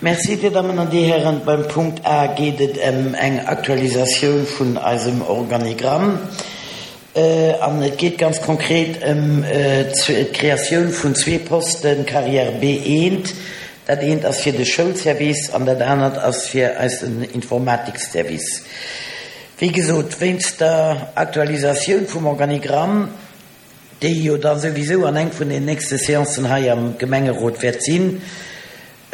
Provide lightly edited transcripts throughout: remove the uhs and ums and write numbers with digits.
Merci, Dir Dammen an Dir Hären. Beim Punkt A geet et ëm eng Aktualisatioun vun eisem Organigramm. An et geet ganz konkret ëm d'Kreatioun vun zwee Posten, Carrière B1. Dat eent ass fir de Schoulservice an dat anert ass fir eisen Informatikservice. Wéi gesot, wéinst der Aktualisatioun vum Organigramm, déi jo da souwisou an eng vun den nächste Seancen hei am Gemengerot wäert sinn,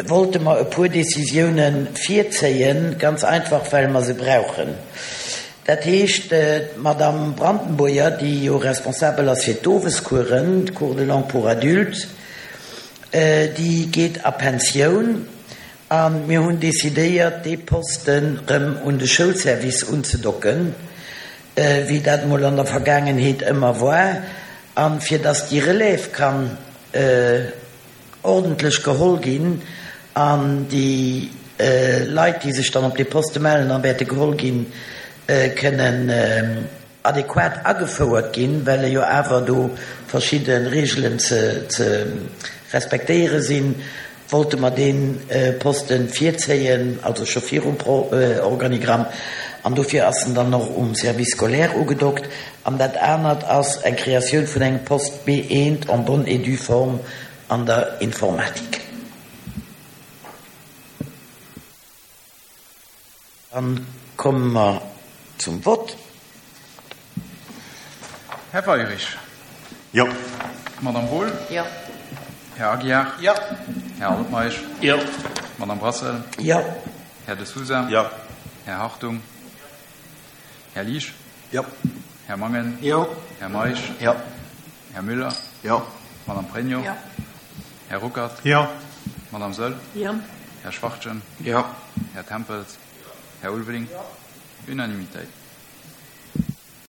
wollte mer e puer Décisiounen virzéien, ganz einfach well mer se brauchen. Dat heescht, d'Madame Brandenburger, déi jo responsabel ass fir d'Owescoursen, d'Cours de langue pour adultes, déi geet a Pensioun a mir hunn décidéiert, dee Posten erëm un de Schoulservice unzedocken, wéi dat mol an der Vergaangenheet ëmmer war, a fir dass déi Relève kann ordentlech geholl ginn an déi Leit, déi sech dann op dee Poste mellen a wäerte geholl ginn, kënnen adequat agefouert ginn, well jo awer do verschidde Reegelen ze respektéiere sinn, wollte mer dee Poste virzéien, also scho virum Organigramm, an dofir ass en dann och um Service scolaire ugedockt. An dat anert ass eng Kreatioun vun engem Poste B1 en bonne et due forme an der Informatik. Dann komme mer zum Vott. Här Weirich. Jo. Madame Wohl. Jo. Här Aguiar. Jo. Här Altmeisch. Jo. Madame Brassel. Jo. Här De Sousa. Jo. Här Hartung. Här Liesch. Jo. Här Mangen. Jo. Här Meisch. Jo. Här Müller. Jo. Madame Pregno. Jo. Här Ruckert. Jo. Madame Soll. Jo. Här Schwachtgen. Jo. Här Tempels. Här Ulveling. Jo. Unanimitéit.